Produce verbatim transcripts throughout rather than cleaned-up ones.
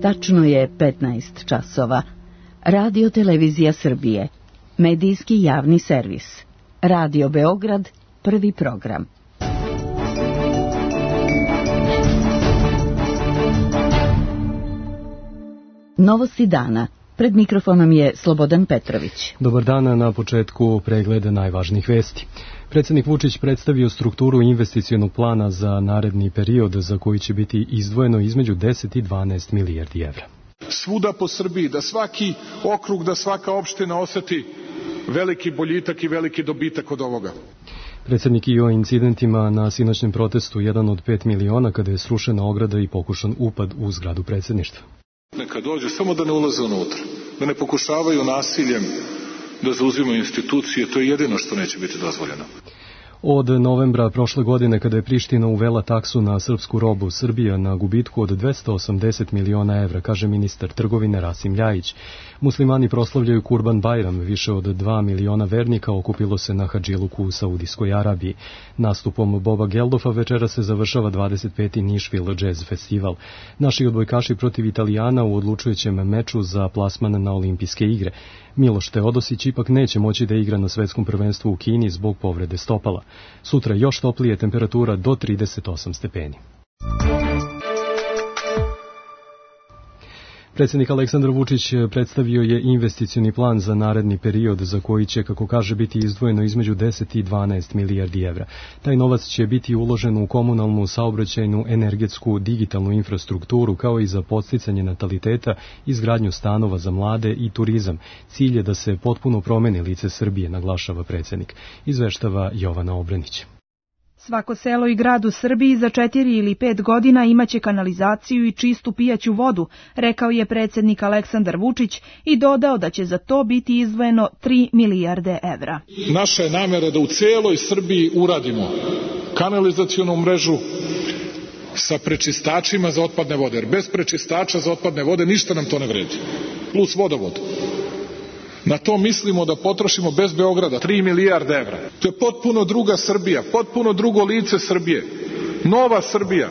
Tačno je petnaest časova. Radio Televizija Srbije. Medijski javni servis. Radio Beograd, prvi program. Novosti dana. Pred mikrofonom je Slobodan Petrović. Dobar dan, na početku pregleda najvažnijih vesti. Predsjednik Vučić predstavio strukturu investicionog plana za naredni period za koji će biti izdvojeno između deset i dvanaest milijardi evra. Svuda po Srbiji, da svaki okrug, da svaka opština oseti veliki boljitak i veliki dobitak od ovoga. Predsjednik i o incidentima na sinoćnem protestu jedan od pet miliona kada je srušena ograda i pokušan upad u zgradu predsjedništva. Neka dođe, samo da ne ulaze unutra, da ne pokušavaju nasiljem da zauzimaju institucije, to je jedino što neće biti dozvoljeno. Od novembra prošle godine, kada je Priština uvela taksu na srpsku robu, Srbija na gubitku od dvesta osamdeset miliona evra, kaže ministar trgovine Rasim Ljajić. Muslimani proslavljaju Kurban Bajram, više od dva miliona vernika okupilo se na Hadžiluku u Saudijskoj Arabiji. Nastupom Boba Geldofa večera se završava dvadeset peti Nashville Jazz Festival. Naši odbojkaši protiv Italijana u odlučujućem meču za plasman na olimpijske igre. Miloš Teodosić ipak neće moći da igra na svetskom prvenstvu u Kini zbog povrede stopala. Sutra još toplije, temperatura do trideset osam stepeni. Predsjednik Aleksandar Vučić predstavio je investicioni plan za naredni period za koji će, kako kaže, biti izdvojeno između deset i dvanaest milijardi evra. Taj novac će biti uložen u komunalnu, saobraćajnu, energetsku, digitalnu infrastrukturu, kao i za podsticanje nataliteta, izgradnju stanova za mlade i turizam. Cilj je da se potpuno promeni lice Srbije, naglašava predsjednik. Izveštava Jovana Obranić. Svako selo i grad u Srbiji za četiri ili pet godina imaće kanalizaciju i čistu pijaću vodu, rekao je predsjednik Aleksandar Vučić i dodao da će za to biti izdvojeno tri milijarde evra. Naša je namera da u celoj Srbiji uradimo kanalizacionu mrežu sa prečistačima za otpadne vode, jer bez prečistača za otpadne vode ništa nam to ne vredi, plus vodovod. Na to mislimo da potrošimo bez Beograda tri milijarde evra. To je potpuno druga Srbija, potpuno drugo lice Srbije, nova Srbija.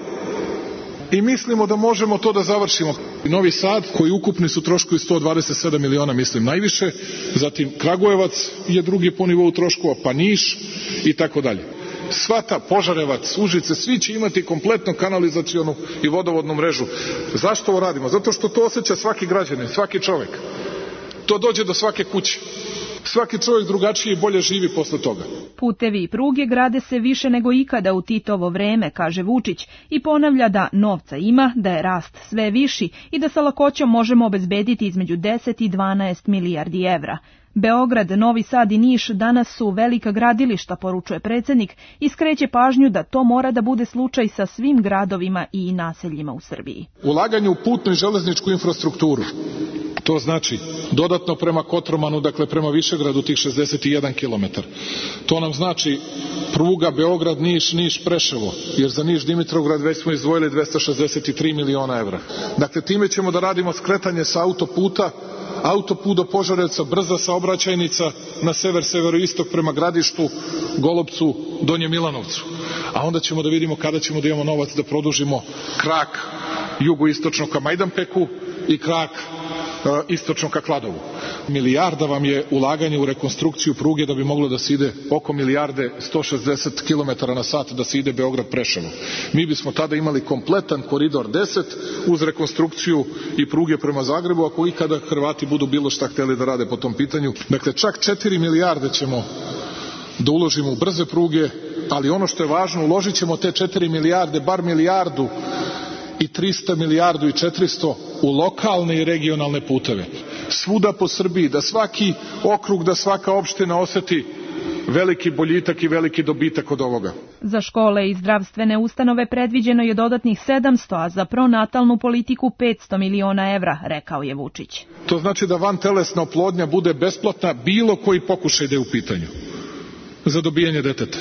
I mislimo da možemo to da završimo. Novi Sad, koji ukupni su troškovi sto dvadeset sedam miliona, mislim najviše, zatim Kragujevac je drugi po nivou troškova, pa Niš i tako dalje. Svata, Požarevac, Užice, svi će imati kompletnu kanalizacionu i vodovodnu mrežu. Zašto ovo radimo? Zato što to osjeća svaki građanin, svaki čovek. To dođe do svake kuće. Svaki čovjek drugačije i bolje živi posle toga. Putevi i pruge grade se više nego ikada u Titovo vreme, kaže Vučić, i ponavlja da novca ima, da je rast sve viši i da sa lakoćom možemo obezbediti između deset i dvanaest milijardi evra. Beograd, Novi Sad i Niš danas su velika gradilišta, poručuje predsjednik, i skreće pažnju da to mora da bude slučaj sa svim gradovima i naseljima u Srbiji. Ulaganje u putnu i železničku infrastrukturu. To znači dodatno prema Kotromanu, dakle prema Višegradu, tih šezdeset jedan kilometar. To nam znači pruga Beograd, Niš, Niš, Preševo, jer za Niš, Dimitrovgrad već smo izdvojili dvesta šezdeset tri miliona evra. Dakle, time ćemo da radimo skretanje sa autoputa, autoput do Požarevca, brza saobraćajnica na sever, severoistok prema Gradištu, Golupcu, Donjem Milanovcu. A onda ćemo da vidimo kada ćemo da imamo novac da produžimo krak jugoistočno ka Majdanpeku i krak istočno ka Kladovu. Milijarda vam je ulaganje u rekonstrukciju pruge da bi moglo da se ide oko milijarde sto šezdeset kilometara na sat da se ide Beograd-Preševo. Mi bismo tada imali kompletan koridor deset uz rekonstrukciju i pruge prema Zagrebu, ako ikada Hrvati budu bilo šta hteli da rade po tom pitanju. Dakle, čak četiri milijarde ćemo da uložimo u brze pruge, ali ono što je važno, uložit ćemo te četiri milijarde, bar milijardu i trista milijardu i četiristo u lokalne i regionalne puteve. Svuda po Srbiji, da svaki okrug, da svaka opština oseti veliki boljitak i veliki dobitak od ovoga. Za škole i zdravstvene ustanove predviđeno je dodatnih sedamsto, a za pronatalnu politiku petsto miliona evra, rekao je Vučić. To znači da vantelesna oplodnja bude besplatna bilo koji pokušaj da je u pitanju za dobijanje deteta.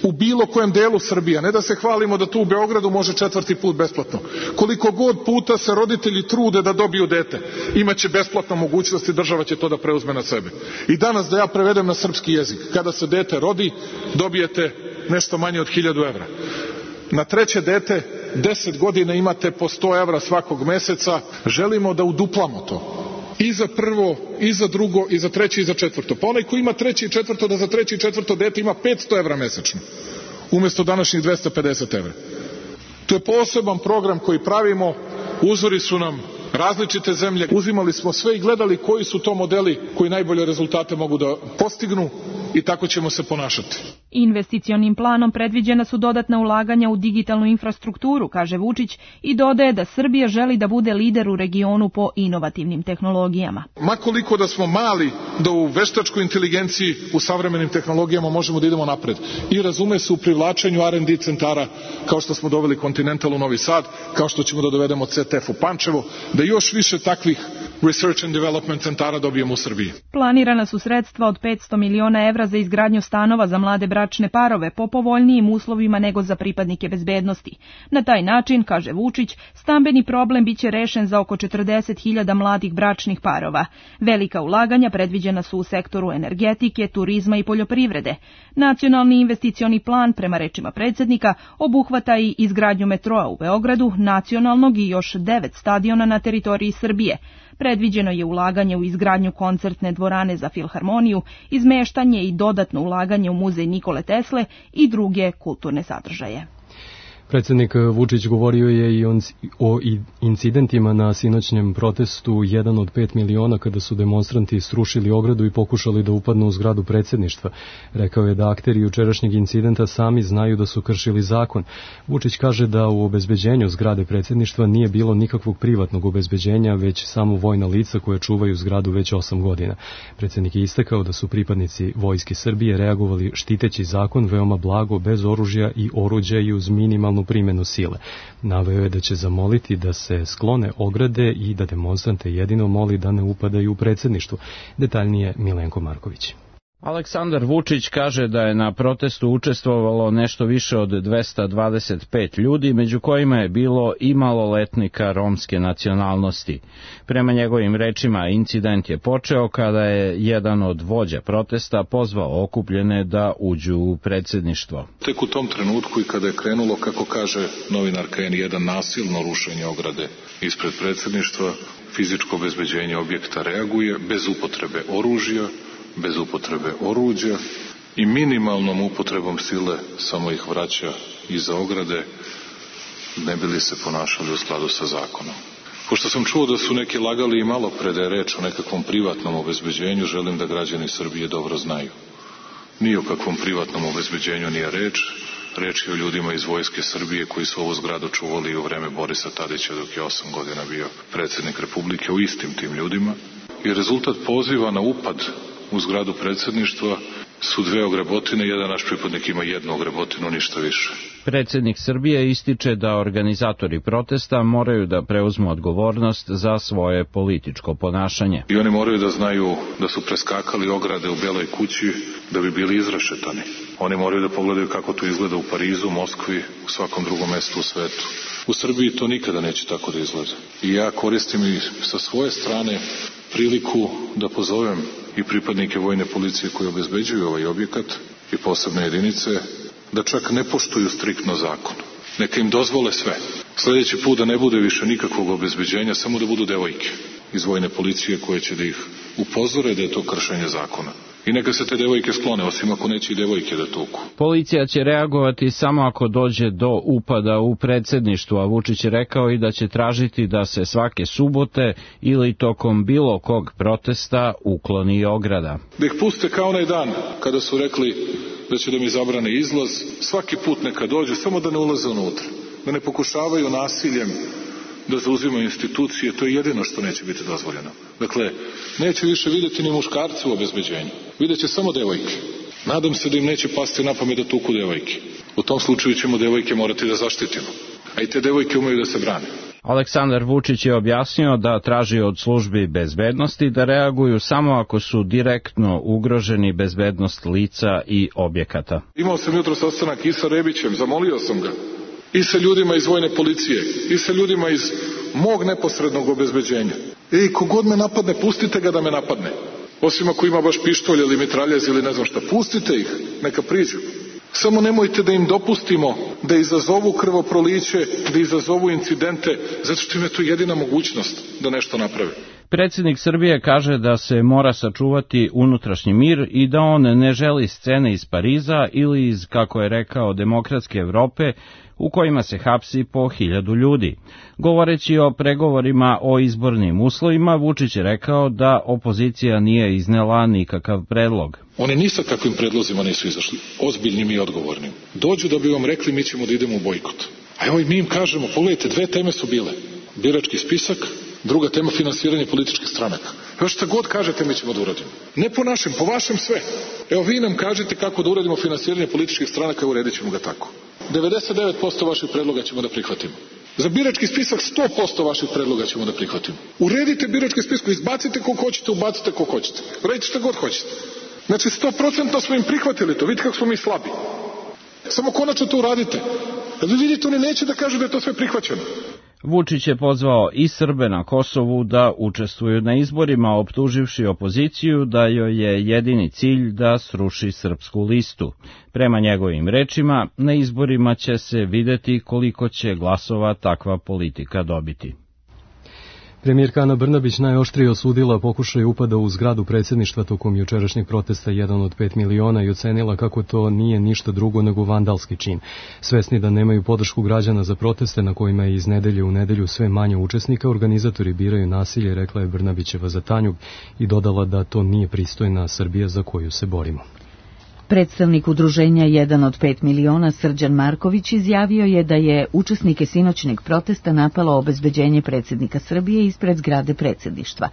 U bilo kojem delu Srbije, ne da se hvalimo da tu u Beogradu može četvrti put besplatno. Koliko god puta se roditelji trude da dobiju dete, imaće besplatno mogućnost i država će to da preuzme na sebe. I danas da ja prevedem na srpski jezik, kada se dete rodi, dobijete nešto manje od hiljadu evra. Na treće dete deset godina imate po sto evra svakog meseca, želimo da uduplamo to. I za prvo, i za drugo, i za treće, i za četvrto. Pa onaj ko ima treće i četvrto, da za treće i četvrto dete ima petsto evra mesečno, umjesto današnjih dvesta pedeset evra. To je poseban program koji pravimo, uzori su nam različite zemlje, uzimali smo sve i gledali koji su to modeli koji najbolje rezultate mogu da postignu i tako ćemo se ponašati. Investicionim planom predviđena su dodatna ulaganja u digitalnu infrastrukturu, kaže Vučić, i dodaje da Srbija želi da bude lider u regionu po inovativnim tehnologijama. Makoliko da smo mali, da u veštačkoj inteligenciji, u savremenim tehnologijama možemo da idemo napred. I razume se u privlačenju R and D centara, kao što smo doveli Continental u Novi Sad, kao što ćemo da dovedemo C T F u Pančevo, da još više takvih Research and Development centara dobijemo u Srbiji. Planirana su sredstva od petsto miliona evra za izgradnju stanova za mlade bračne parove po povoljnijim uslovima nego za pripadnike bezbednosti. Na taj način, kaže Vučić, stambeni problem biće rešen za oko četrdeset hiljada mladih bračnih parova. Velika ulaganja predviđena su u sektoru energetike, turizma i poljoprivrede. Nacionalni investicioni plan, prema rečima predsjednika, obuhvata i izgradnju metroa u Beogradu, nacionalnog i još devet stadiona na teritoriji Srbije. Predviđeno je ulaganje u izgradnju koncertne dvorane za filharmoniju, izmeštanje i dodatno ulaganje u muzej Nikole Tesle i druge kulturne sadržaje. Predsjednik Vučić govorio je i o incidentima na sinoćnjem protestu jedan od pet miliona kada su demonstranti srušili ogradu i pokušali da upadnu u zgradu predsjedništva. Rekao je da akteri jučerašnjeg incidenta sami znaju da su kršili zakon. Vučić kaže da u obezbeđenju zgrade predsjedništva nije bilo nikakvog privatnog obezbeđenja, već samo vojna lica koje čuvaju zgradu već osam godina. Predsjednik je istakao da su pripadnici Vojske Srbije reagovali štiteći zakon veoma blago, bez oružja i oruđa i uz minimalnu primjenu sile. Naveo je da će zamoliti da se sklone ograde i da demonstrante jedino moli da ne upadaju u predsjedništvo. Detaljnije Milenko Marković. Aleksandar Vučić kaže da je na protestu učestvovalo nešto više od dvesta dvadeset pet ljudi, među kojima je bilo i maloletnika romske nacionalnosti. Prema njegovim rečima, incident je počeo kada je jedan od vođa protesta pozvao okupljene da uđu u predsjedništvo. Tek u tom trenutku i kada je krenulo, kako kaže novinarka N jedan, nasilno rušenje ograde ispred predsjedništva, fizičko obezbeđenje objekta reaguje bez upotrebe oružja, bez upotrebe oruđa i minimalnom upotrebom sile samo ih vraća iza ograde, ne bi li se ponašali u skladu sa zakonom. Pošto sam čuo da su neki lagali i malo pre da je reč o nekakvom privatnom obezbeđenju, želim da građani Srbije dobro znaju. Ni o kakvom privatnom obezbeđenju nije reč, reč je o ljudima iz Vojske Srbije koji su ovu zgradu čuvali u vreme Borisa Tadića dok je osam godina bio predsjednik Republike, o istim tim ljudima. I rezultat poziva na upad u zgradu predsjedništva su dve ogrebotine, jedan naš pripadnik ima jednu ogrebotinu, ništa više. Predsjednik Srbije ističe da organizatori protesta moraju da preuzmu odgovornost za svoje političko ponašanje. I oni moraju da znaju da su preskakali ograde u Beloj kući da bi bili izrešetani. Oni moraju da pogledaju kako to izgleda u Parizu, Moskvi, u svakom drugom mestu u svetu. U Srbiji to nikada neće tako da izgleda. I ja koristim i sa svoje strane priliku da pozovem i pripadnike vojne policije koji obezbeđuju ovaj objekat i posebne jedinice da čak ne poštuju striktno zakon. Neka im dozvole sve. Sljedeći put da ne bude više nikakvog obezbeđenja, samo da budu devojke iz vojne policije koje će da ih upozore da je to kršenje zakona. I neka se te devojke sklone, osim ako neće i devojke da tuku. Policija će reagovati samo ako dođe do upada u predsjedništvu, a Vučić je rekao i da će tražiti da se svake subote ili tokom bilo kog protesta ukloni ograda. Da ih puste kao onaj dan kada su rekli da će da mi zabrane izlaz, svaki put neka dođu, samo da ne ulaze unutra, da ne pokušavaju nasiljem da zauzimaju institucije, to je jedino što neće biti dozvoljeno. Dakle, neće više vidjeti ni muškarci u obezbeđenju, vidjet će samo devojke. Nadam se da im neće pasti na pamet da tuku devojke. U tom slučaju ćemo devojke morati da zaštitimo, a i te devojke umeju da se brane. Aleksandar Vučić je objasnio da traži od službi bezbednosti da reaguju samo ako su direktno ugroženi bezbednost lica i objekata. Imao sam jutro sastanak i sa Rebićem, zamolio sam ga, i sa ljudima iz vojne policije, i sa ljudima iz mog neposrednog obezbeđenja. Ej, kogod me napadne, pustite ga da me napadne. Osim ako ima baš pištolj ili mitraljez ili ne znam šta, pustite ih, neka priđu. Samo nemojte da im dopustimo da izazovu krvoproliće, da izazovu incidente, zato što im je to jedina mogućnost da nešto naprave. Predsjednik Srbije kaže da se mora sačuvati unutrašnji mir i da on ne želi scene iz Pariza ili iz, kako je rekao, demokratske Evrope u kojima se hapsi po hiljadu ljudi. Govoreći o pregovorima o izbornim uslovima, Vučić je rekao da opozicija nije iznela nikakav predlog. Oni ni sa kakvim predlozima nisu izašli, ozbiljnim i odgovornim. Dođu da bi vam rekli mi ćemo da idemo u bojkot. A evo i mi im kažemo, pogledajte, dve teme su bile. Birački spisak, druga tema finansiranje političkih stranaka. Evo šta god kažete mi ćemo da uradimo. Ne po našem, po vašem sve. Evo vi nam kažete kako da uradimo finansiranje političkih stranaka, uredit ćemo ga tako. devedeset devet posto vaših predloga ćemo da prihvatimo. Za birački spisak sto posto vaših predloga ćemo da prihvatimo. Uredite birački spisak, izbacite kog hoćete, ubacite kog hoćete. Uredite šta god hoćete. Znači sto posto smo im prihvatili to, vidite kako smo mi slabi. Samo konačno to uradite. A vi vidite, oni neće da kažu da je to sve prihvaćeno. Vučić je pozvao i Srbe na Kosovu da učestvuju na izborima, optuživši opoziciju da joj je jedini cilj da sruši srpsku listu. Prema njegovim rečima, na izborima će se videti koliko će glasova takva politika dobiti. Premijerka Ana Brnabić najoštrije osudila pokušaj upada u zgradu predsjedništva tokom jučerašnjeg protesta jedan od pet miliona i ocenila kako to nije ništa drugo nego vandalski čin. Svesni da nemaju podršku građana za proteste na kojima je iz nedelje u nedelju sve manje učesnika, organizatori biraju nasilje, rekla je Brnabićeva za Tanjug i dodala da to nije pristojna Srbija za koju se borimo. Predstavnik udruženja jedan od pet miliona Srđan Marković izjavio je da je učesnike sinoćnjeg protesta napalo obezbeđenje predsjednika Srbije ispred zgrade predsjedništva.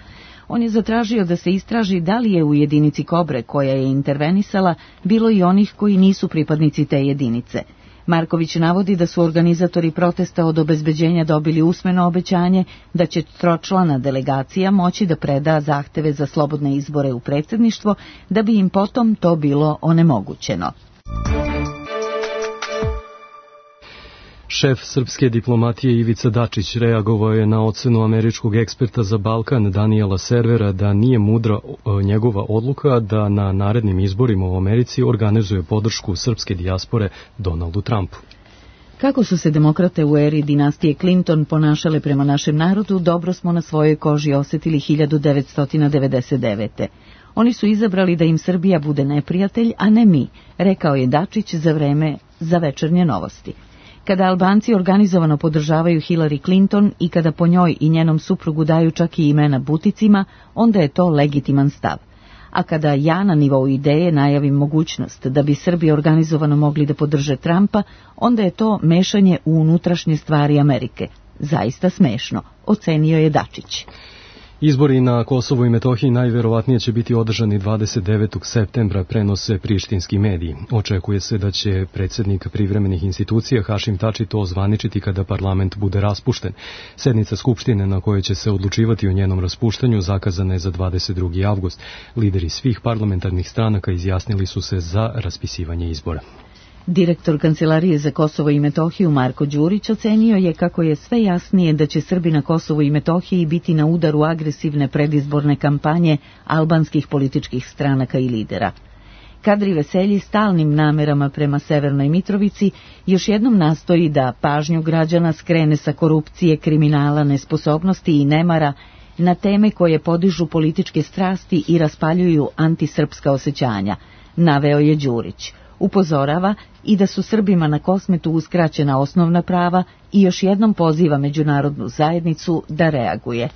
On je zatražio da se istraži da li je u jedinici Kobre koja je intervenisala bilo i onih koji nisu pripadnici te jedinice. Marković navodi da su organizatori protesta od obezbeđenja dobili usmeno obećanje da će tročlana delegacija moći da preda zahteve za slobodne izbore u predsjedništvo, da bi im potom to bilo onemogućeno. Šef srpske diplomatije Ivica Dačić reagovao je na ocenu američkog eksperta za Balkan Daniela Servera da nije mudra njegova odluka da na narednim izborima u Americi organizuje podršku srpske dijaspore Donaldu Trumpu. Kako su se demokrate u eri dinastije Clinton ponašale prema našem narodu, dobro smo na svojoj koži osjetili hiljadu devetsto devedeset devete. Oni su izabrali da im Srbija bude neprijatelj, a ne mi, rekao je Dačić za vreme za Večernje novosti. Kada Albanci organizovano podržavaju Hillary Clinton i kada po njoj i njenom suprugu daju čak i imena buticima, onda je to legitiman stav. A kada ja na nivou ideje najavim mogućnost da bi Srbi organizovano mogli da podrže Trumpa, onda je to mešanje u unutrašnje stvari Amerike. Zaista smešno, ocenio je Dačić. Izbori na Kosovu i Metohiji najverovatnije će biti održani dvadeset devetog septembra, prenose prištinski mediji. Očekuje se da će predsjednik privremenih institucija Hašim Tači to ozvaničiti kada parlament bude raspušten. Sednica Skupštine na kojoj će se odlučivati o njenom raspuštanju zakazana je za dvadeset drugi avgust. Lideri svih parlamentarnih stranaka izjasnili su se za raspisivanje izbora. Direktor Kancelarije za Kosovo i Metohiju Marko Đurić ocenio je kako je sve jasnije da će Srbi na Kosovu i Metohiji biti na udaru agresivne predizborne kampanje albanskih političkih stranaka i lidera. Kadri Veselji stalnim namerama prema Severnoj Mitrovici još jednom nastoji da pažnju građana skrene sa korupcije, kriminala, nesposobnosti i nemara na teme koje podižu političke strasti i raspaljuju antisrpska osjećanja, naveo je Đurić. Upozorava i da su Srbima na Kosmetu uskraćena osnovna prava i još jednom poziva međunarodnu zajednicu da reaguje.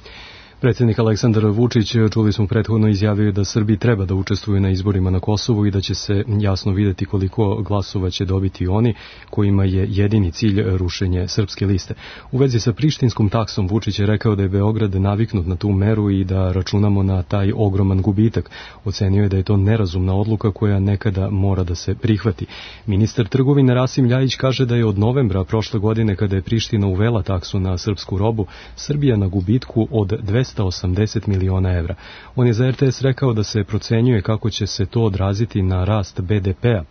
Predsjednik Aleksandar Vučić, čuli smo prethodno, izjavio da Srbi treba da učestvuju na izborima na Kosovu i da će se jasno vidjeti koliko glasova će dobiti oni kojima je jedini cilj rušenje srpske liste. U vezi sa prištinskom taksom Vučić je rekao da je Beograd naviknut na tu meru i da računamo na taj ogroman gubitak. Ocenio je da je to nerazumna odluka koja nekada mora da se prihvati. Ministar trgovine Rasim Ljajić kaže da je od novembra prošle godine, kada je Priština uvela taksu na srpsku robu, Srbija na gubitku od dvesta dvesta osamdeset miliona evra. On je za er te es rekao da se procenjuje kako će se to odraziti na rast be de pea.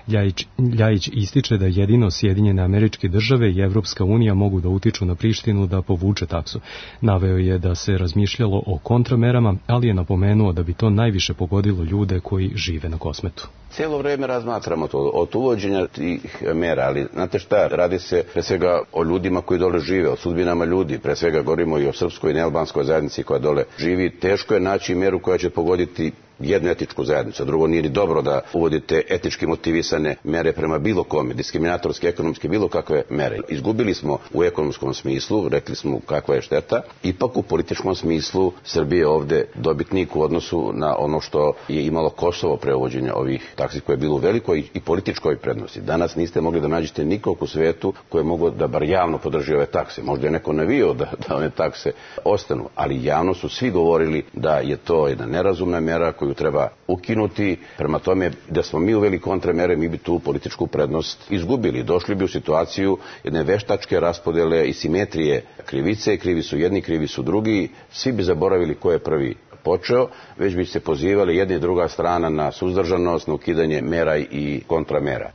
Ljajić, Ljajić ističe da jedino Sjedinjene Američke Države i Evropska unija mogu da utiču na Prištinu da povuče taksu. Naveo je da se razmišljalo o kontramerama, ali je napomenuo da bi to najviše pogodilo ljude koji žive na Kosmetu. Cijelo vreme razmatramo to od uvođenja tih mera, ali znate šta, radi se pre svega o ljudima koji dole žive, o sudbinama ljudi, pre svega govorimo i o srpskoj i nealbanskoj zajednici koja dole živi. Teško je naći meru koja će pogoditi jednu etičku zajednicu, a drugo nije ni dobro da uvodite etički motivisane mere prema bilo kome, diskriminatorske, ekonomske, bilo kakve mere. Izgubili smo u ekonomskom smislu, rekli smo kakva je šteta, ipak u političkom smislu Srbije je ovde dobitnik u odnosu na ono što je imalo Kosovo pre uvođenja ovih taksi koje je bilo u velikoj i političkoj prednosti. Danas niste mogli da nađete nikog u svetu koje je moglo da bar javno podrži ove takse. Možda je neko navio da, da one takse ostanu, ali javno su svi govorili da je to jedna nerazumna mera koju treba ukinuti. Prema tome, da smo mi uveli kontramere, mi bi tu političku prednost izgubili. Došli bi u situaciju jedne veštačke raspodele i simetrije krivice, krivi su jedni, krivi su drugi, svi bi zaboravili ko je prvi počeo, već bi se pozivali jedna i druga strana na suzdržanost, na ukidanje mera i kontramera.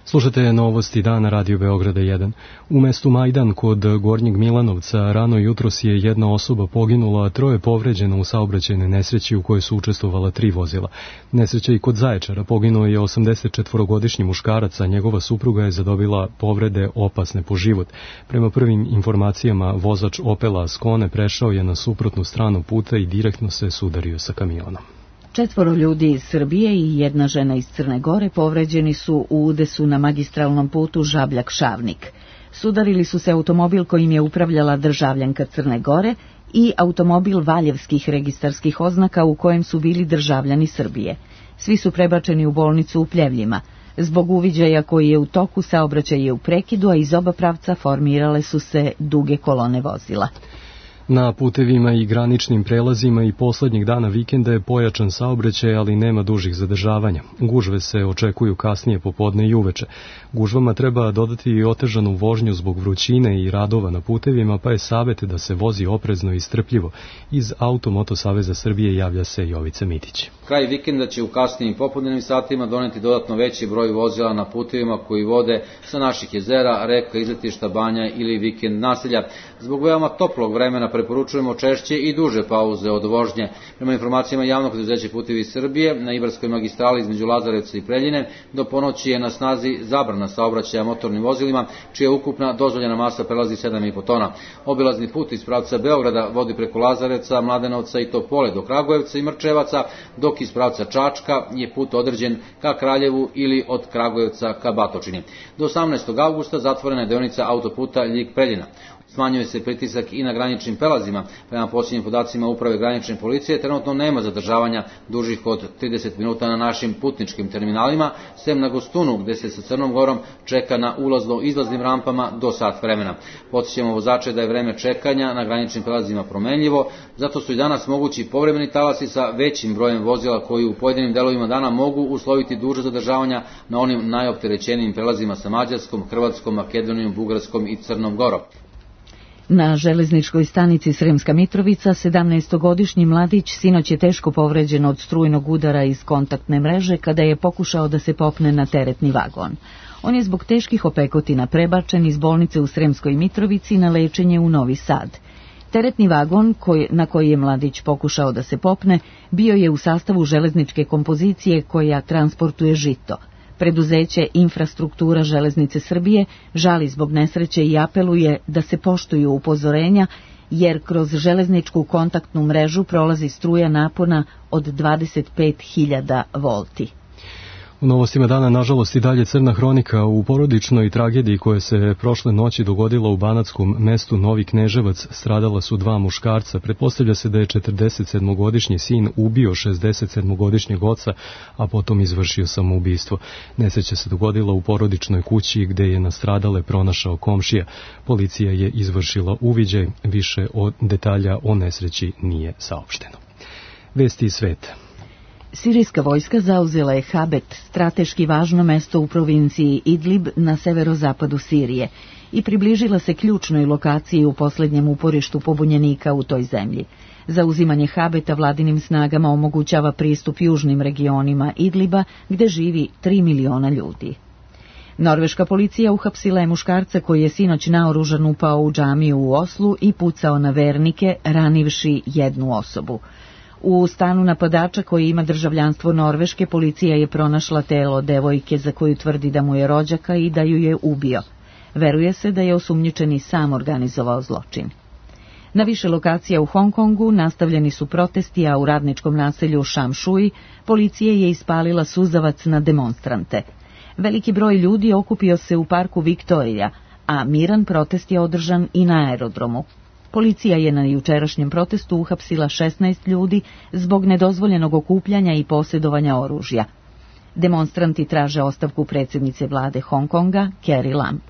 Slušate novosti dana Radio Beograda jedan. U mestu Majdan kod Gornjeg Milanovca rano jutros je jedna osoba poginula, a troje povređeno u saobraćajnoj nesreći u kojoj su učestvovala tri vozila. Nesreća i kod Zaječara, poginuo je osamdesetčetvorogodišnji muškarac, a njegova supruga je zadobila povrede opasne po život. Prema prvim informacijama, vozač Opela Ascone prešao je na suprotnu stranu puta i direktno se sudario sa kamionom. Četvoro ljudi iz Srbije i jedna žena iz Crne Gore povređeni su u udesu na magistralnom putu Žabljak-Šavnik. Sudarili su se automobil kojim je upravljala državljanka Crne Gore i automobil valjevskih registarskih oznaka u kojem su bili državljani Srbije. Svi su prebačeni u bolnicu u Pljevljima. Zbog uviđaja koji je u toku, saobraćaj je u prekidu, a iz oba pravca formirale su se duge kolone vozila. Na putevima i graničnim prelazima i poslednjeg dana vikenda je pojačan saobraćaj, ali nema dužih zadržavanja. Gužve se očekuju kasnije popodne i uveče. Gužvama treba dodati i otežanu vožnju zbog vrućine i radova na putevima, pa je savjet da se vozi oprezno i strpljivo. Iz Automoto Saveza Srbije javlja se Jovica Mitić. Kraj vikenda će u kasnijim popodnevnim satima doneti dodatno veći broj vozila na putevima koji vode sa naših jezera, reka, izletišta, banja ili vikend naselja. Zbog veoma toplog vremena preporučujemo češće i duže pauze od vožnje. Prema informacijama javnog preduzeća Putevi Srbije, na Ibarskoj magistrali između Lazarevca i Preljine do ponoći je na snazi zabrana saobraćaja motornim vozilima, čija ukupna dozvoljena masa prelazi sedam i po tona. Obilazni put iz pravca Beograda vodi preko Lazarevca, Mladenovca i Topole do Kragujevca i Mrčevaca, dok iz pravca Čačka je put određen ka Kraljevu ili od Kragujevca ka Batočini. Do osamnaestog avgusta zatvorena je deonica autoputa Ljig-Preljina. Smanjuje se pritisak i na graničnim prelazima. Prema posljednjim podacima Uprave granične policije, trenutno nema zadržavanja dužih od trideset minuta na našim putničkim terminalima, sem na Gostunu, gde se sa Crnom Gorom čeka na ulazno-izlaznim rampama do sat vremena. Podsjećamo vozače da je vreme čekanja na graničnim prelazima promenljivo, zato su i danas mogući povremeni talasi sa većim brojem vozila koji u pojedinim delovima dana mogu usloviti duže zadržavanja na onim najopterećenijim prelazima sa Mađarskom, Hrvatskom, Makedonijom, Bugarskom i Crnom Gorom. Na železničkoj stanici Sremska Mitrovica sedamnaestogodišnji mladić sinoć je teško povređen od strujnog udara iz kontaktne mreže kada je pokušao da se popne na teretni vagon. On je zbog teških opekotina prebačen iz bolnice u Sremskoj Mitrovici na lečenje u Novi Sad. Teretni vagon koji, na koji je mladić pokušao da se popne bio je u sastavu železničke kompozicije koja transportuje žito. Preduzeće Infrastruktura železnice Srbije žali zbog nesreće i apeluje da se poštuju upozorenja, jer kroz železničku kontaktnu mrežu prolazi struja napona od dvadeset pet hiljada volti. U novostima dana, nažalost, i dalje crna hronika u porodičnoj tragediji koja se prošle noći dogodila u banatskom mestu Novi Kneževac. Stradala su dva muškarca. Pretpostavlja se da je četrdesetsedmogodišnji sin ubio šezdesetsedmogodišnjeg oca, a potom izvršio samoubistvo. Nesreća se dogodila u porodičnoj kući gde je nastradale pronašao komšija. Policija je izvršila uviđaj, više od detalja o nesreći nije saopšteno. Vesti iz sveta. Sirijska vojska zauzela je Habet, strateški važno mesto u provinciji Idlib na severozapadu Sirije. i približila se ključnoj lokaciji u posljednjem uporištu pobunjenika u toj zemlji. Zauzimanje Habeta vladinim snagama omogućava pristup južnim regionima Idliba, gde živi tri miliona ljudi. Norveška policija uhapsila je muškarca koji je sinoć naoružan upao u džamiju u Oslu i pucao na vernike, ranivši jednu osobu. U stanu napadača koji ima državljanstvo Norveške, policija je pronašla telo devojke za koju tvrdi da mu je rođaka i da ju je ubio. Veruje se da je osumnjičeni sam organizovao zločin. Na više lokacija u Hong Kongu nastavljeni su protesti, a u radničkom naselju Šamšuj policija je ispalila suzavac na demonstrante. Veliki broj ljudi okupio se u parku Viktorija, a miran protest je održan i na aerodromu. Policija je na jučerašnjem protestu uhapsila šesnaest ljudi zbog nedozvoljenog okupljanja i posjedovanja oružja. Demonstranti traže ostavku predsjednice vlade Hong Konga, Carrie Lam.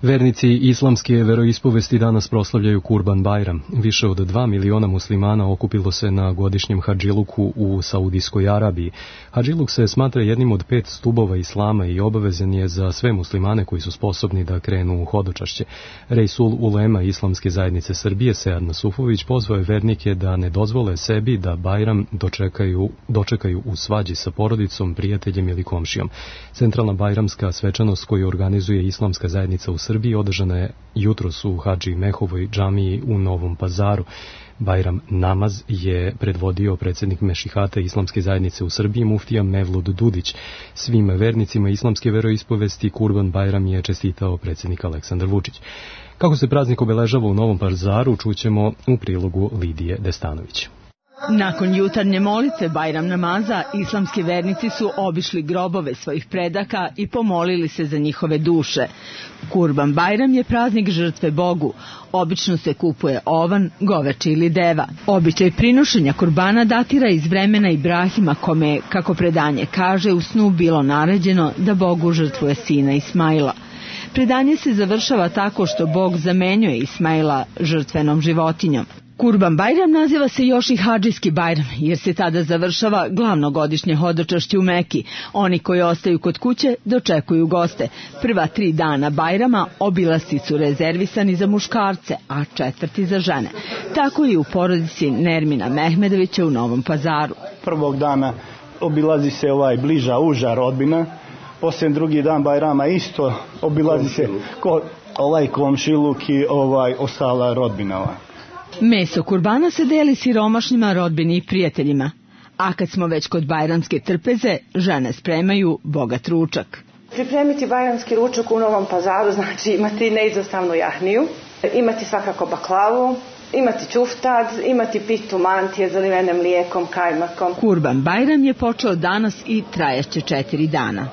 Vernici islamske veroispovesti danas proslavljaju Kurban Bajram. Više od dva miliona muslimana okupilo se na godišnjem hadžiluku u Saudijskoj Arabiji. Hadžiluk se smatra jednim od pet stubova islama i obavezan je za sve muslimane koji su sposobni da krenu u hodočašće. Rejsul Ulema Islamske zajednice Srbije, Sead Nasufović, pozvao je vernike da ne dozvole sebi da Bajram dočekaju, dočekaju u svađi sa porodicom, prijateljem ili komšijom. Centralna bajramska svečanost koju organizuje Islamska zajednica u Srbiji održana je jutros u Hadži Mehovoj džamiji u Novom Pazaru. Bajram namaz je predvodio predsjednik Mešihata Islamske zajednice u Srbiji, muftija Mevlud Dudić. Svim vernicima islamske veroispovesti Kurban Bajram je čestitao predsjednik Aleksandar Vučić. Kako se praznik obeležava u Novom Pazaru, čućemo u prilogu Lidije Destanović. Nakon jutarnje molitve Bajram namaza, islamski vernici su obišli grobove svojih predaka i pomolili se za njihove duše. Kurban Bajram je praznik žrtve Bogu. Obično se kupuje ovan, goveče ili deva. Običaj prinošenja kurbana datira iz vremena Ibrahima, kome je, kako predanje kaže, u snu bilo naređeno da Bogu žrtvuje sina Ismaila. Predanje se završava tako što Bog zamenjuje Ismaila žrtvenom životinjom. Kurban Bajram naziva se još i hadžijski Bajram, jer se tada završava glavno godišnje hodočašće u Meki. Oni koji ostaju kod kuće dočekuju goste. Prva tri dana Bajrama obilasci su rezervisani za muškarce, a četvrti za žene. Tako i u porodici Nermina Mehmedovića u Novom Pazaru. Prvog dana obilazi se ovaj bliža, uža rodbina. Poslije drugi dan Bajrama isto obilazi se ko, ovaj komšiluk i ovaj ostala rodbina. Meso kurbana se deli siromašnjima, rodbini i prijateljima. A kad smo već kod bajramske trpeze, žene spremaju bogat ručak. Pripremiti bajramski ručak u Novom Pazaru znači imati neizostavnu jahniju, imati svakako baklavu, imati čuftad, imati pitu mantije zalivene mlijekom, kajmakom. Kurban Bajram je počeo danas i trajaće četiri dana.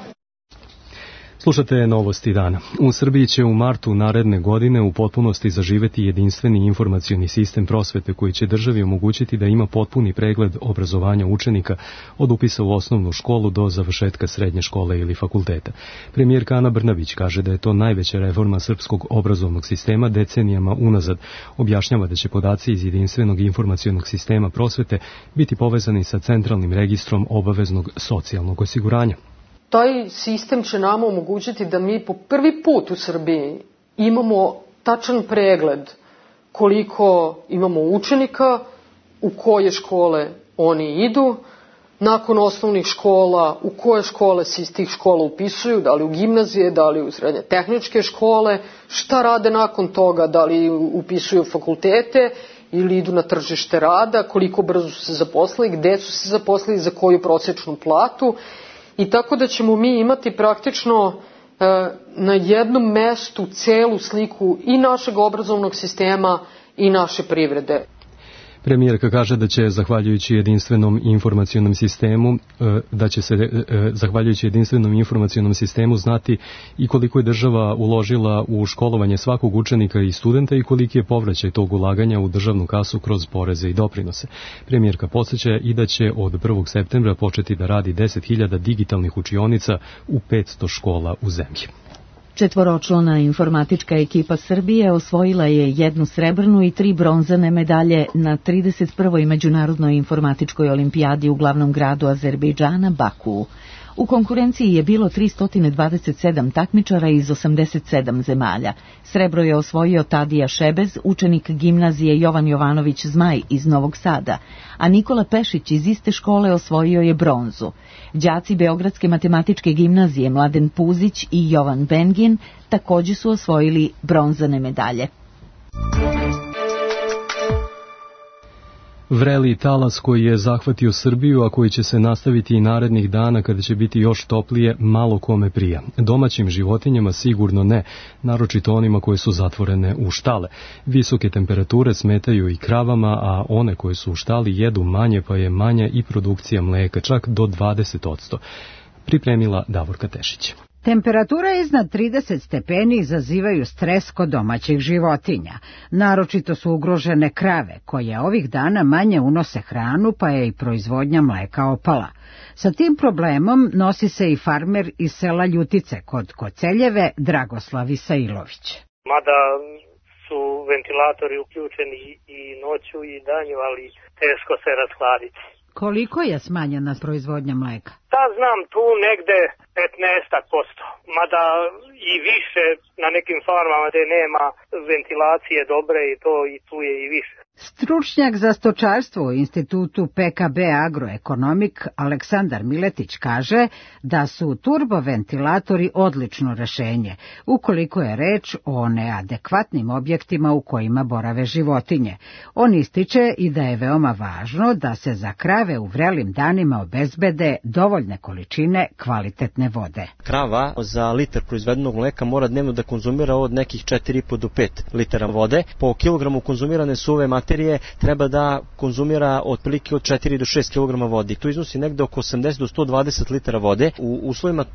Slušate novosti dana. U Srbiji će u martu naredne godine u potpunosti zaživeti jedinstveni informacioni sistem prosvete koji će državi omogućiti da ima potpuni pregled obrazovanja učenika od upisa u osnovnu školu do završetka srednje škole ili fakulteta. Premijerka Ana Brnabić kaže da je to najveća reforma srpskog obrazovnog sistema decenijama unazad. Objašnjava da će podaci iz jedinstvenog informacionog sistema prosvete biti povezani sa centralnim registrom obaveznog socijalnog osiguranja. Taj sistem će nama omogućiti da mi po prvi put u Srbiji imamo tačan pregled koliko imamo učenika, u koje škole oni idu, nakon osnovnih škola, u koje škole se iz tih škola upisuju, da li u gimnazije, da li u srednje tehničke škole, šta rade nakon toga, da li upisuju fakultete ili idu na tržište rada, koliko brzo su se zaposlili, gde su se zaposlili, za koju prosječnu platu. I tako da ćemo mi imati praktično e, na jednom mestu celu sliku i našeg obrazovnog sistema i naše privrede. Premijerka kaže da će zahvaljujući jedinstvenom informacionom sistemu da će se zahvaljujući jedinstvenom informacionom sistemu znati i koliko je država uložila u školovanje svakog učenika i studenta i koliki je povraćaj tog ulaganja u državnu kasu kroz poreze i doprinose. Premijerka podsjeća i da će od prvog septembra početi da radi deset hiljada digitalnih učionica u petsto škola u zemlji. Četvoročlana informatička ekipa Srbije osvojila je jednu srebrnu i tri bronzane medalje na trideset prvoj Međunarodnoj informatičkoj olimpijadi u glavnom gradu Azerbejdžana, Bakuu. U konkurenciji je bilo tristo dvadeset sedam takmičara iz osamdeset sedam zemalja. Srebro je osvojio Tadija Šebez, učenik gimnazije Jovan Jovanović Zmaj iz Novog Sada, a Nikola Pešić iz iste škole osvojio je bronzu. Đaci Beogradske matematičke gimnazije Mladen Puzić i Jovan Bengin također su osvojili bronzane medalje. Vreli talas koji je zahvatio Srbiju, a koji će se nastaviti i narednih dana kada će biti još toplije, malo kome prija. Domaćim životinjama sigurno ne, naročito onima koje su zatvorene u štale. Visoke temperature smetaju i kravama, a one koje su u štali jedu manje, pa je manja i produkcija mleka, čak do dvadeset posto. Pripremila Davorka Tešić. Temperatura iznad trideset stepeni izazivaju stres kod domaćih životinja. Naročito su ugrožene krave, koje ovih dana manje unose hranu, pa je i proizvodnja mleka opala. Sa tim problemom nosi se i farmer iz sela Ljutice kod Koceljeve, Dragoslav Isailović. Mada su ventilatori uključeni i noću i danju, ali teško se rashladiti. Koliko je smanjena proizvodnja mleka? Da, znam, tu negde petnaest posto, mada i više na nekim farmama gde nema ventilacije dobre i to i tu je i više. Stručnjak za stočarstvo u institutu P K B Agroekonomik Aleksandar Miletić kaže da su turboventilatori odlično rešenje, ukoliko je reč o neadekvatnim objektima u kojima borave životinje. On ističe i da je veoma važno da se za krave u vrelim danima obezbede dovoljne količine kvalitetne vode. Krava za litar proizvedenog mleka mora dnevno da konzumira od nekih četiri i po do pet litara vode. Po kilogramu konzumirane suve materije treba da konzumira otprilike od četiri do šest kilograma vode. To iznosi negde oko osamdeset do sto dvadeset litara vode. U uslovima e,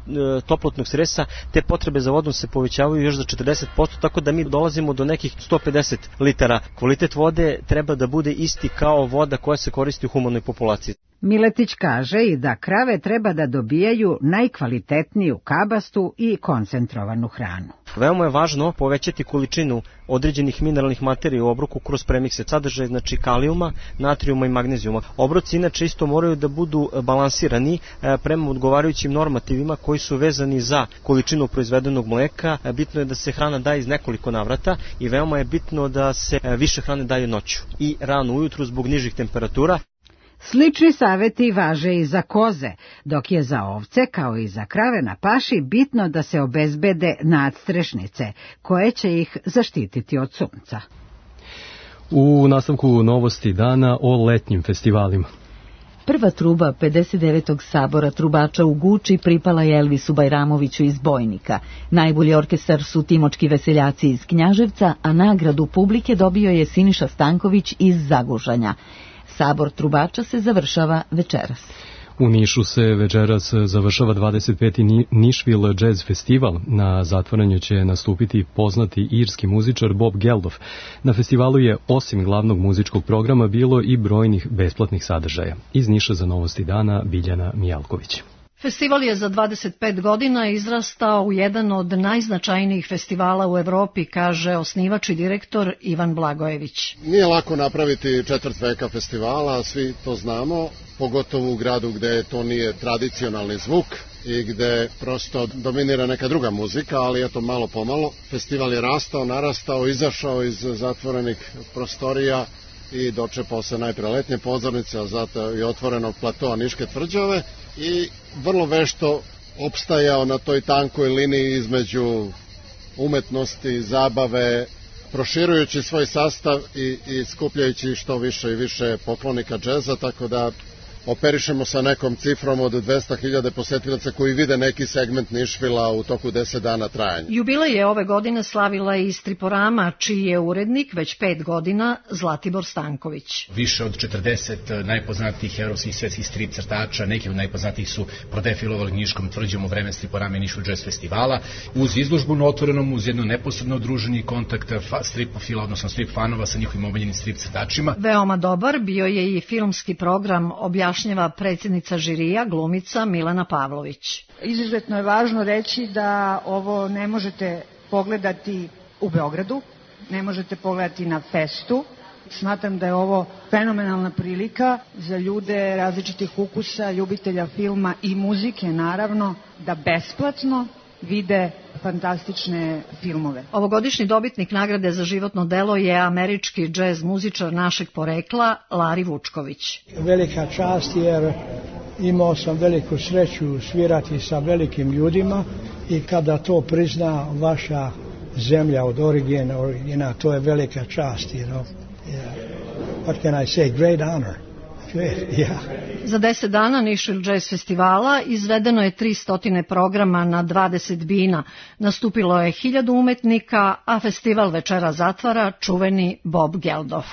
toplotnog stresa te potrebe za vodom se povećavaju još za četrdeset posto, tako da mi dolazimo do nekih sto pedeset litara. Kvalitet vode treba da bude isti kao voda koja se koristi u humanoj populaciji. Miletić kaže i da krave treba da dobijaju najkvalitetniju kabastu i koncentrovanu hranu. Veoma je važno povećati količinu određenih mineralnih materija u obroku kroz premikse, sadržaj znači kalijuma, natrijuma i magnezijuma. Obroci inače isto moraju da budu balansirani prema odgovarajućim normativima koji su vezani za količinu proizvedenog mleka. Bitno je da se hrana daje iz nekoliko navrata i veoma je bitno da se više hrane daje noću i rano ujutru zbog nižih temperatura. Slični saveti važe i za koze, dok je za ovce, kao i za krave na paši, bitno da se obezbede nadstrešnice, koje će ih zaštititi od sunca. U nastavku novosti dana o letnjim festivalima. Prva truba pedeset devetog sabora trubača u Guči pripala je Elvisu Bajramoviću iz Bojnika. Najbolji orkestar su Timočki veseljaci iz Knjaževca, a nagradu publike dobio je Siniša Stanković iz Zagužanja. Sabor trubača se završava večeras. U Nišu se večeras završava dvadeset peti Nashville Jazz Festival. Na zatvaranju će nastupiti poznati irski muzičar Bob Geldof. Na festivalu je osim glavnog muzičkog programa bilo i brojnih besplatnih sadržaja. Iz Niša za novosti dana Biljana Mijalković. Festival je za dvadeset pet godina izrastao u jedan od najznačajnijih festivala u Evropi, kaže osnivač i direktor Ivan Blagojević. Nije lako napraviti četvrt veka festivala, svi to znamo, pogotovo u gradu gde to nije tradicionalni zvuk i gde prosto dominira neka druga muzika, ali eto malo pomalo. Festival je rastao, narastao, izašao iz zatvorenih prostorija i dočepao se najpre letnje pozornice, a zato i otvorenog platoa Niške tvrđave i vrlo vešto opstajao na toj tankoj liniji između umetnosti, zabave, proširujući svoj sastav i, i skupljajući što više i više poklonika džeza, tako da operišemo sa nekom cifrom od dvesta hiljada posetilaca koji vide neki segment Nišvila u toku deset dana trajanja. Jubilej je ove godine slavila i Striporama, čiji je urednik već pet godina Zlatibor Stanković. Više od četrdeset najpoznatijih evropskih svetskih strip crtača, neki od najpoznatijih su prodefilovali Niškom tvrđom u vreme Striporama i Nišvil Jazz Festivala. Uz izložbu na otvorenom, uz jedno neposredno druženje i kontakt stripofila, odnosno strip fanova sa njihovim omiljenim strip crtačima. Veoma dobar bio je i filmski program objašnjava predsjednica žirija, glumica Milana Pavlović. Izuzetno je važno reći da ovo ne možete pogledati u Beogradu, ne možete pogledati na festu, Smatram da je ovo fenomenalna prilika za ljude različitih ukusa, ljubitelja filma i muzike naravno, da besplatno vide fantastične filmove. Ovogodišnji dobitnik nagrade za životno delo je američki džez muzičar našeg porekla Lari Vučković. Velika čast jer imao sam veliku sreću svirati sa velikim ljudima i kada to prizna vaša zemlja od origina, origina to je velika čast, you know. Yeah. What can I say? Great honor. Yeah. Za deset dana Nišvil Jazz festivala izvedeno je tristo programa na dvadeset bina. Nastupilo je hiljadu umetnika, a festival večera zatvara čuveni Bob Geldof.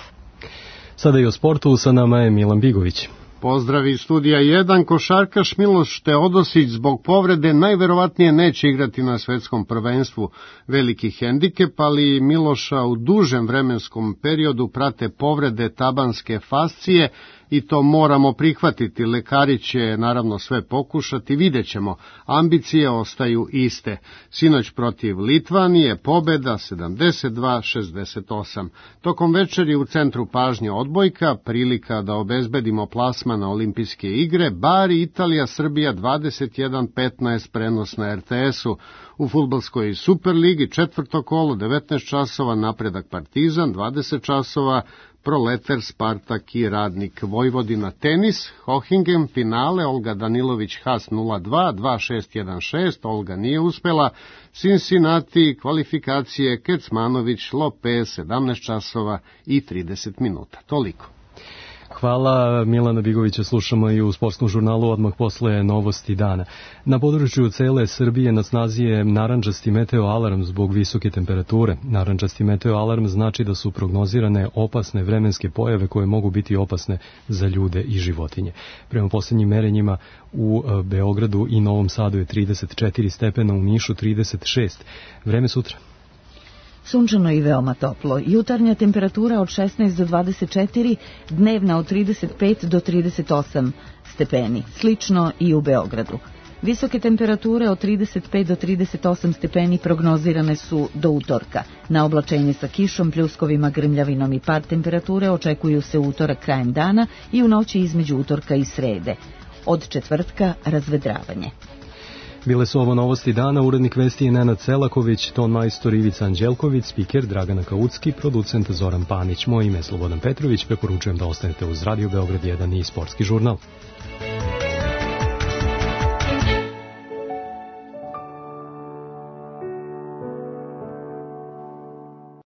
Sada i o sportu, sa nama je Milan Bigović. Pozdrav iz studija jedan. Košarkaš Miloš Teodosić zbog povrede najverovatnije neće igrati na svetskom prvenstvu. Veliki hendikep, ali Miloša u dužem vremenskom periodu prate povrede tabanske fascije i to moramo prihvatiti. Lekari će naravno sve pokušati, vidjet ćemo. Ambicije ostaju iste. Sinoć protiv Litvanije pobeda sedamdeset dva šezdeset osam. Tokom večeri u centru pažnje odbojka, prilika da obezbedimo plasman na olimpijske igre, Bari Italija Srbija dvadeset jedan petnaest prenos na er te esu. U fudbalskoj Superligi četvrto kolo devetnaest časova Napredak Partizan, dvadeset časova Proleter Spartak i Radnik Vojvodina. Tenis, Hohingem, finale, Olga Danilović Haas nula dva, dva šest jedan šest, Olga nije uspela, Cincinnati, kvalifikacije Kecmanović Lopez, sedamnaest časova i trideset minuta. Toliko. Hvala, Milana Bigovića slušamo i u sportskom žurnalu odmah posle novosti dana. Na području cele Srbije na snazi je narandžasti meteo alarm zbog visoke temperature. Narandžasti meteo alarm znači da su prognozirane opasne vremenske pojave koje mogu biti opasne za ljude i životinje. Prema posljednjim merenjima u Beogradu i Novom Sadu je trideset četiri stepena, u Nišu trideset šest. Vreme sutra. Sunčano i veoma toplo. Jutarnja temperatura od šesnaest do dvadeset četiri, dnevna od trideset pet do trideset osam stepeni. Slično i u Beogradu. Visoke temperature od trideset pet do trideset osam stepeni prognozirane su do utorka. Na oblačenje sa kišom, pljuskovima, grmljavinom i pad temperature očekuju se utorak krajem dana i u noći između utorka i srede. Od četvrtka razvedravanje. Bile su ovo novosti dana, urednik vesti je Nenad Selaković, ton majstor Ivica Anđelković, spiker Dragana Kaucki, producent Zoran Panić. Moje ime je Slobodan Petrović, preporučujem da ostanete uz Radio Beograd jedan i sportski žurnal.